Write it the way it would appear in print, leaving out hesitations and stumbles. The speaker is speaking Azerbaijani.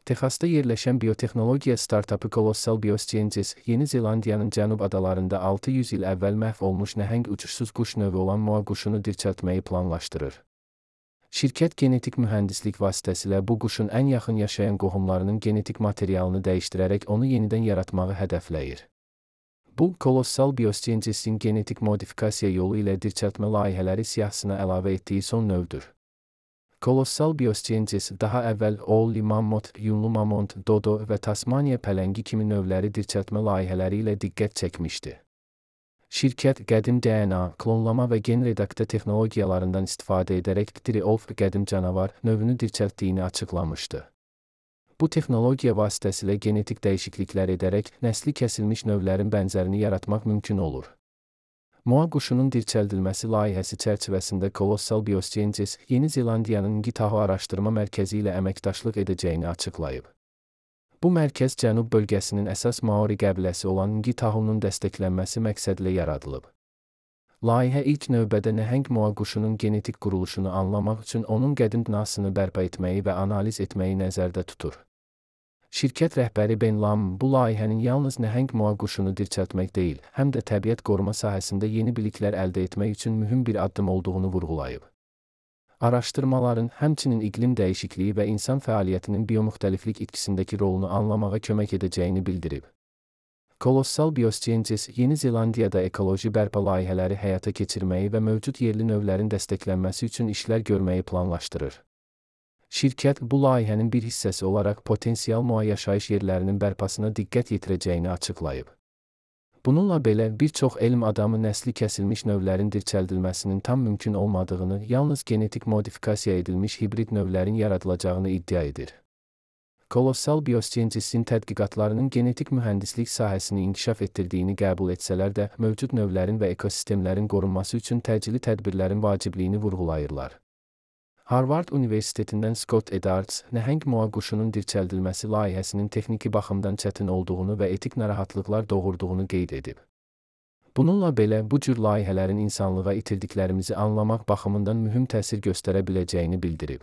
Texasda yerləşən biotexnologiya startapı Colossal Biosciences, Yeni Zelandiyanın cənub adalarında 600 il əvvəl məhv olmuş nəhəng uçursuz quş növü olan moa quşunu dirçəltməyi planlaşdırır. Şirkət genetik mühəndislik vasitəsilə bu quşun ən yaxın yaşayan qohumlarının genetik materialını dəyişdirərək onu yenidən yaratmağı hədəfləyir. Bu, Colossal Biosciencesin genetik modifikasiya yolu ilə dirçəltmə layihələri siyahısına əlavə etdiyi son növdür. Colossal Biosciences daha əvvəl Woolly Mammoth, yunlu mamont, dodo və Tasmaniya pələngi kimi növləri dirçəltmə layihələri ilə diqqət çəkmişdi. Şirkət qədim DNA, klonlama və gen redaktə texnologiyalarından istifadə edərək Triolf qədim canavar növünü dirçəltdiyini açıqlamışdı. Bu texnologiya vasitəsilə genetik dəyişikliklər edərək nəsli kəsilmiş növlərin bənzərini yaratmaq mümkün olur. Moa quşunun dirçəldilməsi layihəsi çərçivəsində Colossal Biosciences, Yeni Zelandiyanın Ngitaho Araşdırma Mərkəzi ilə əməkdaşlıq edəcəyini açıqlayıb. Bu mərkəz cənub bölgəsinin əsas Maori qəbiləsi olan Ngitahonun dəstəklənməsi məqsədilə yaradılıb. Layihə ilk növbədə nəhəng moa quşunun genetik quruluşunu anlamaq üçün onun qədim DNA-sını bərpa etməyi və analiz etməyi nəzərdə tutur. Şirkət rəhbəri Ben Lam bu layihənin yalnız nəhəng moa quşunu dirçəltmək deyil, həm də təbiət qoruma sahəsində yeni biliklər əldə etmək üçün mühüm bir addım olduğunu vurğulayıb. Araşdırmaların həmçinin iqlim dəyişikliyi və insan fəaliyyətinin biomüxtəliflik itkisindəki rolunu anlamağa kömək edəcəyini bildirib. Colossal Biosciences, Yeni Zelandiyada ekoloji bərpa layihələri həyata keçirməyi və mövcud yerli növlərin dəstəklənməsi üçün işlər görməyi planlaşdırır. Şirkət bu layihənin bir hissəsi olaraq potensial moa yaşayış yerlərinin bərpasına diqqət yetirəcəyini açıqlayıb. Bununla belə, bir çox elm adamı nəsli kəsilmiş növlərin dirçəldilməsinin tam mümkün olmadığını, yalnız genetik modifikasiya edilmiş hibrid növlərin yaradılacağını iddia edir. Colossal Biosciencesin tədqiqatlarının genetik mühəndislik sahəsini inkişaf etdirdiyini qəbul etsələr də, mövcud növlərin və ekosistemlərin qorunması üçün təcili tədbirlərin vacibliyini vurğulayırlar. Harvard Universitetindən Scott Edarts, nəhəng moa quşunun dirçəldilməsi layihəsinin texniki baxımdan çətin olduğunu və etik narahatlıqlar doğurduğunu qeyd edib. Bununla belə, bu cür layihələrin insanlığa itirdiklərimizi anlamaq baxımından mühüm təsir göstərə biləcəyini bildirib.